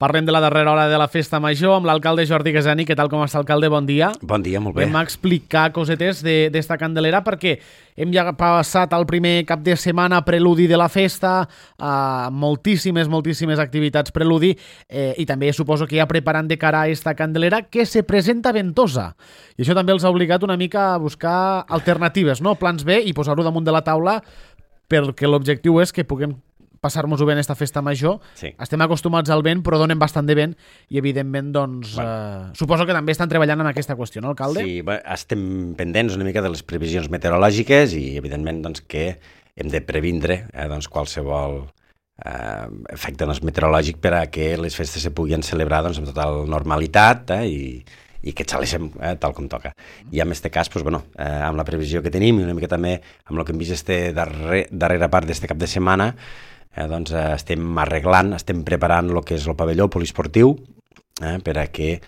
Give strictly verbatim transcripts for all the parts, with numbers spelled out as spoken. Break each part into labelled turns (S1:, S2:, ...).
S1: Parlem de la darrera hora de la festa major amb l'alcalde Jordi Gasani. Què tal, com està, alcalde? Bon dia.
S2: Bon dia, molt bé.
S1: Vam explicar cosetes d'esta Candelera perquè hem ja passat el primer cap de setmana preludi de la festa, eh, moltíssimes, moltíssimes activitats preludi, eh, i també suposo que ja preparant de cara a esta Candelera que se presenta ventosa. I això també els ha obligat una mica a buscar alternatives, no? Plans B, i posar-ho damunt de la taula, perquè l'objectiu és que puguem passar-nos-ho bé en esta festa major.
S2: Sí.
S1: Estem acostumats al vent, però donen bastant de vent i, evidentment, doncs, bueno. eh, suposo que també estan treballant en aquesta qüestió, no, alcalde?
S2: Sí, bé, estem pendents una mica de les previsions meteorològiques i, evidentment, doncs, que hem de previndre eh, doncs, qualsevol eh, efecte doncs, meteorològic per a que les festes se puguin celebrar doncs, amb total normalitat eh, i, i que xaleixem eh, tal com toca. I en aquest cas, doncs, bueno, eh, amb la previsió que tenim i una mica també amb el que hem vist este darrer, darrera part d'este cap de setmana, Eh, doncs eh, estem arreglant, estem preparant el que és el pavelló poliesportiu eh, per a que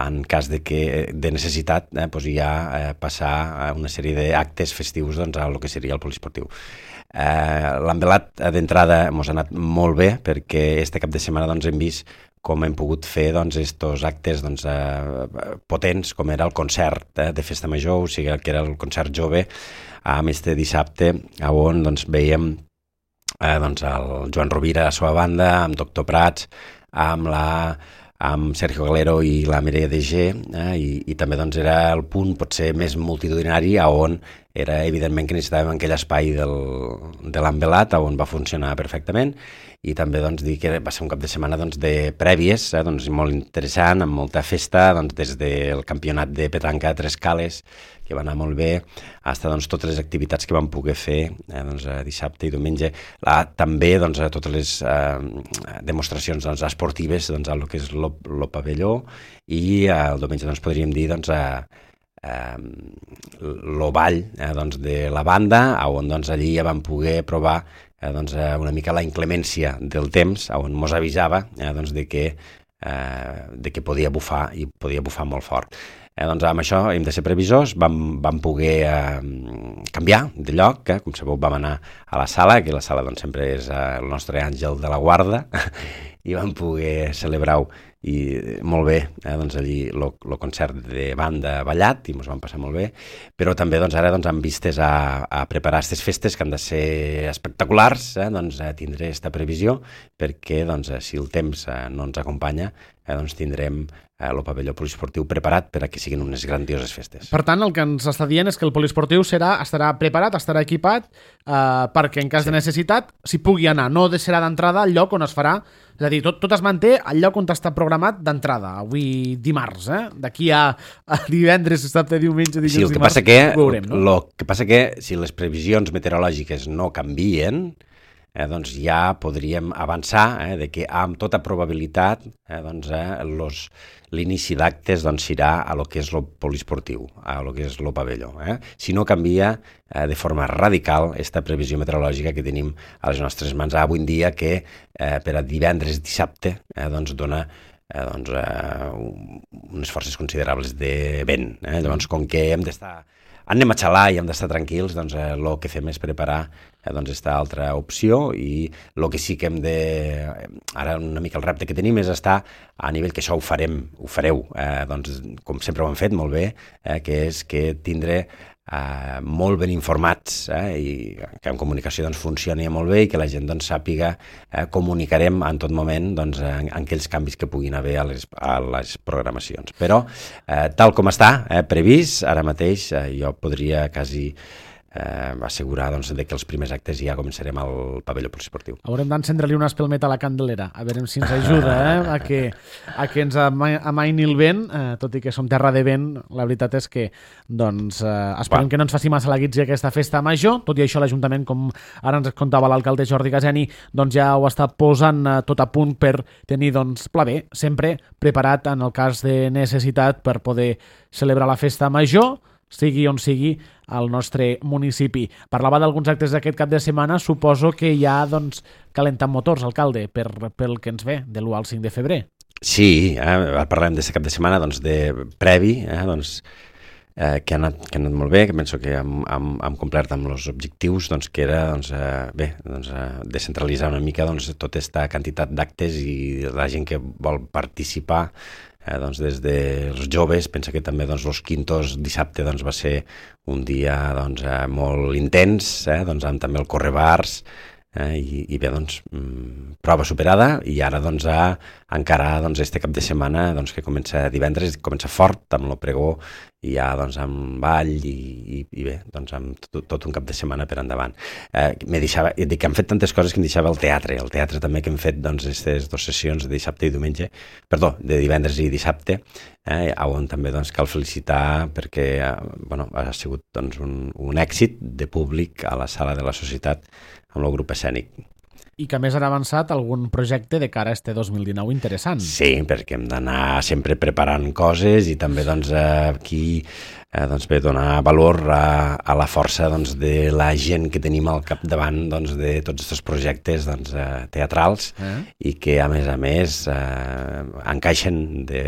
S2: en cas de, que, de necessitat eh, doncs ja eh, passar a una sèrie d'actes festius doncs, a el que seria el poliesportiu. Eh, L'envelat d'entrada ens ha anat molt bé perquè este cap de setmana doncs, hem vist com hem pogut fer doncs, estos actes doncs, eh, potents, com era el concert eh, de Festa Major, o sigui que era el concert jove, amb este dissabte, on doncs, veiem Eh, doncs el Joan Rovira a la seva banda, amb Doctor Prats, amb, la, amb Sergio Galero i la Mireia de G, eh, i, i també doncs, era el punt potser més multitudinari on era evidentment que necessitàvem aquell espai del, de l'envelat on va funcionar perfectament, i també doncs, dir que va ser un cap de setmana doncs, de prèvies, eh, doncs, molt interessant, amb molta festa, doncs, des del campionat de petanca a Tres Cales, que va anar molt bé, fins doncs, totes les activitats que vam poder fer eh, doncs, dissabte i diumenge, la, també doncs, totes les eh, demostracions doncs, esportives doncs, el que és el pavelló, i eh, el diumenge doncs, podríem dir doncs, eh, eh, el ball eh, doncs, de la banda, on doncs, allí ja vam poder provar eh, doncs, una mica la inclemència del temps, on mos avisava eh, doncs, de, que, eh, de que podia bufar, i podia bufar molt fort. Eh, doncs amb això hem de ser previsors, vam, vam poder eh, canviar de lloc, eh? Com sabeu vam anar a la sala, que la sala doncs, sempre és eh, el nostre àngel de la guarda, i vam poder celebrar-ho i molt bé, eh, doncs allí el concert de banda ballat, i ens vam passar molt bé, però també doncs, ara doncs, amb vistes a, a preparar aquestes festes que han de ser espectaculars, eh, doncs eh, tindré aquesta previsió, perquè doncs, eh, si el temps eh, no ens acompanya, eh, doncs tindrem el pavelló poliesportiu preparat per a que siguin unes grandioses festes.
S1: Per tant, el que ens està dient és que el poliesportiu serà, estarà preparat, estarà equipat, eh, perquè en cas sí. de necessitat s'hi pugui anar. No serà d'entrada al lloc on es farà, és a dir, tot, tot es manté al lloc on està programat d'entrada, avui dimarts, eh? D'aquí a, a divendres, dissabte, diumenge, dilluns,
S2: sí, el que
S1: dimarts,
S2: passa que,
S1: ho veurem, no?
S2: Lo que passa que si les previsions meteorològiques no canvien, Eh, doncs ja podríem avançar eh, de que amb tota probabilitat eh, doncs, eh, los, l'inici d'actes doncs, serà a lo que és el poliesportiu, a lo que és el pavelló. Eh? Si no canvia eh, de forma radical aquesta previsió meteorològica que tenim a les nostres mans avui en dia, que eh, per a divendres, dissabte, eh, doncs dona eh, doncs, eh, unes forces considerables de vent. Eh? Llavors, com que hem d'estar anem a xalar i hem d'estar tranquils, doncs eh, el que fem és preparar eh, doncs, esta altra opció, i el que sí que hem de... Ara una mica el repte que tenim és estar a nivell que això ho farem, ho fareu, eh, doncs, com sempre ho hem fet molt bé, eh, que és que tindre eh, molt ben informats eh, i que en comunicació doncs, funcioni molt bé i que la gent doncs, sàpiga, eh, comunicarem en tot moment doncs, en, en aquells canvis que puguin haver a les, a les programacions. Però eh, tal com està eh, previst, ara mateix eh, jo podria quasi eh, assegurar doncs, de que els primers actes ja començarem al pavelló poliesportiu.
S1: Haurem d'encendre-li un espelmet a la Candelera, a veure si ens ajuda eh, a, que, a que ens amaini el vent, eh, tot i que som terra de vent. La veritat és que doncs, eh, esperem Va. que no ens faci massa la guitza aquesta festa major. Tot i això, l'Ajuntament, com ara ens contava l'alcalde Jordi Gasani, doncs ja ho està posant eh, tot a punt per tenir doncs, pla B, sempre preparat en el cas de necessitat per poder celebrar la festa major, sigui on sigui al nostre municipi. Parlava d'alguns actes d'aquest cap de setmana, suposo que ja doncs, calenten motors, alcalde, per, pel que ens ve, de l'u al cinc de febrer.
S2: Sí, eh, parlem d'aquest cap de setmana doncs, de previ, eh, doncs, eh, que, ha anat, que ha anat molt bé, que penso que hem, hem, hem complert amb els objectius, doncs, que era doncs, eh, bé, doncs, eh, descentralitzar una mica doncs, tota aquesta quantitat d'actes i la gent que vol participar, eh, doncs, des dels joves. Pensa que també doncs, els quintos dissabte doncs, va ser un dia doncs, eh, molt intens, eh, doncs, amb també el correbars, Eh, i, i bé, doncs, mm, prova superada, i ara doncs, a encarar doncs, este cap de setmana doncs, que comença divendres, comença fort amb el pregó, i ja doncs, amb ball i, i, i bé, doncs, amb tot, tot un cap de setmana per endavant. Eh, me deixava, dic que hem fet tantes coses que em deixava el teatre, el teatre també que hem fet doncs, aquestes dues sessions de dissabte i diumenge, perdó, de divendres i dissabte, eh, on també doncs, cal felicitar perquè eh, bueno, ha sigut doncs, un, un èxit de públic a la sala de la Societat amb el grup escènic.
S1: I que a més han avançat algun projecte de cara a este dos mil dinou interessant.
S2: Sí, perquè hem d'anar sempre preparant coses i també doncs, eh, aquí eh, doncs, bé, donar valor a, a la força doncs, de la gent que tenim al capdavant doncs, de tots aquests projectes doncs, eh, teatrals eh? i que a més a més eh, encaixen de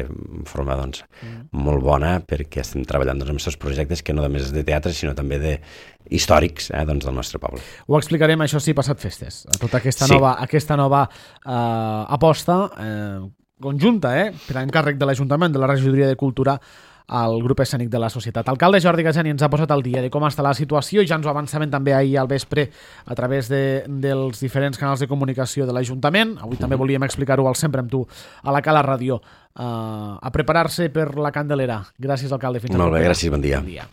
S2: forma doncs, mm. molt bona, perquè estem treballant doncs, amb aquests projectes que no només és de teatre sinó també de històrics eh, doncs, del nostre poble.
S1: Ho explicarem, això sí, passat festes. Tota aquesta
S2: sí.
S1: nova, aquesta nova eh, aposta eh, conjunta, eh, per encàrrec de l'Ajuntament, de la Regidoria de Cultura, al grup escènic de la Societat. Alcalde Jordi Gajani ens ha posat al dia de com està la situació i ja ens ho avançaven també ahir al vespre a través de, dels diferents canals de comunicació de l'Ajuntament. Avui mm. també volíem explicar-ho al Sempre amb tu a la Cala Ràdio. Uh, a preparar-se per la Candelera. Gràcies, alcalde. Fins
S2: Molt bé, gràcies, bon dia.
S1: Bon dia.